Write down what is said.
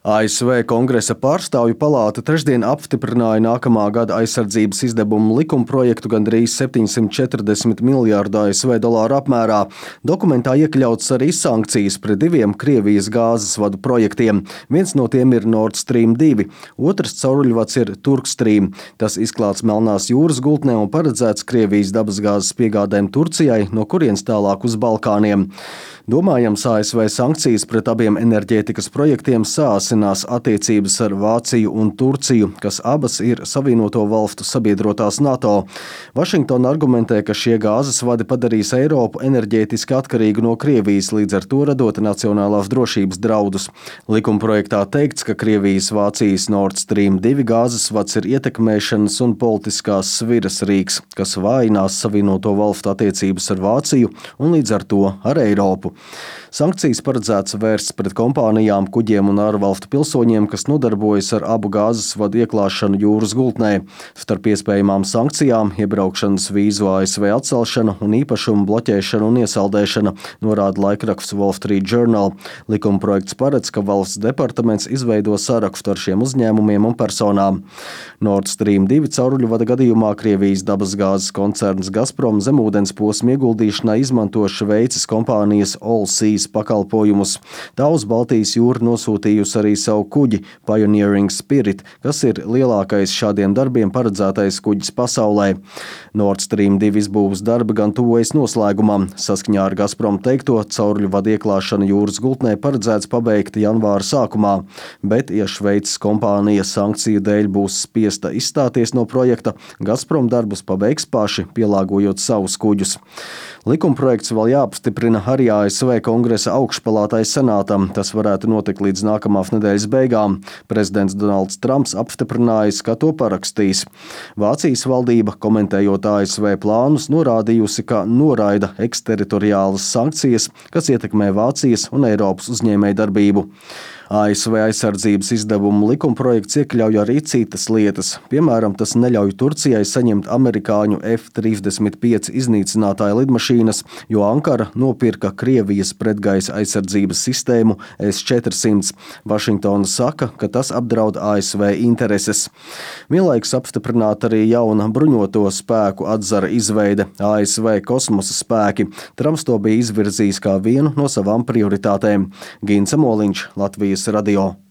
ASV Kongresa pārstāvju palāta trešdien apstiprināja nākamā gada aizsardzības izdevumu likumprojektu gandrīz 740 miljārdu ASV dolāru apmērā. Dokumentā iekļauts arī sankcijas pret diviem Krievijas gāzes vadu projektiem. Viens no tiem ir Nord Stream 2, otrs cauruļvads ir Turkstream. Tas izklāts Melnās jūras gultnē un paredzēts Krievijas dabasgāzes piegādēm Turcijai, no kurienes tālāk uz Balkāniem. Domājams, ASV sankcijas pret abiem enerģētikas projektiem sāsinās attiecības ar Vāciju un Turciju, kas abas ir Savienoto valstu sabiedrotās NATO. Vašingtona argumentē, ka šie gāzes vadi padarīs Eiropu enerģētiski atkarīgu no Krievijas, līdz ar to radot nacionālās drošības draudus. Likumprojektā teikts, ka Krievijas-Vācijas Nord Stream 2 gāzes vads ir ietekmēšanas un politiskās sviras rīks, kas vājinās Savienoto valstu attiecības ar Vāciju un līdz ar to ar Eiropu. Sankcijas paredzēts vērsts pret kompānijām, kuģiem un ārvalstu pilsoņiem, kas nodarbojas ar abu gāzes vadu ieklāšanu jūras gultnē. Starp iespējamām sankcijām iebraukšanas vīzu ASV atcelšana un īpašumu bloķēšana un iesaldēšana, norāda laikraksts Wall Street Journal. Likumprojekts paredz, ka valsts departaments izveido sarakstu ar šiem uzņēmumiem un personām. Nord Stream 2 cauruļvada gadījumā Krievijas dabasgāzes koncerns Gazprom zemūdens posma ieguldīšanai izmanto Šveices kompānijas Allseas pakalpojumus. Tā uz Baltijas jūru nosūtījusi arī savu kuģi Pioneering Spirit, kas ir lielākais šādiem darbiem paredzētais kuģis pasaulē. Nord Stream 2 izbūves darbi gan tuvojas noslēgumam. Saskaņā ar Gazprom teikto, cauruļvadu ieklāšanu jūras gultnē paredzēts pabeigt janvāra sākumā, bet, ja Šveices kompānija sankciju dēļ būs spiesta izstāties no projekta, Gazprom darbus pabeigs paši, pielāgojot savus kuģus. Likumprojekts vēl jāapstiprina arī ASV Kongresa augšpalātai senātam. Tas varētu notikt līdz nākamās nedēļas beigām. Prezidents Donalds Trumps apstiprinājis, ka to parakstīs. Vācijas valdība, komentējot ASV plānus, norādījusi, ka noraida eksteritoriālas sankcijas, kas ietekmē Vācijas un Eiropas uzņēmējdarbību. ASV aizsardzības izdevumu likumprojekts iekļauj arī citas lietas. Piemēram, tas neļauj Turcijai saņemt amerikāņu F-35 iznīcinātāju lidmašīnas, jo Ankara nopirka Krievijas pretgaisa aizsardzības sistēmu S-400. Vašingtona saka, ka tas apdraud ASV intereses. Vienlaikus apstiprināta arī jauna bruņoto spēku atzara izveide - ASV kosmosa spēki. Trumps to bija izvirzījis kā vienu no savām prioritātēm. Gins Amoliņš, Latvijas radio.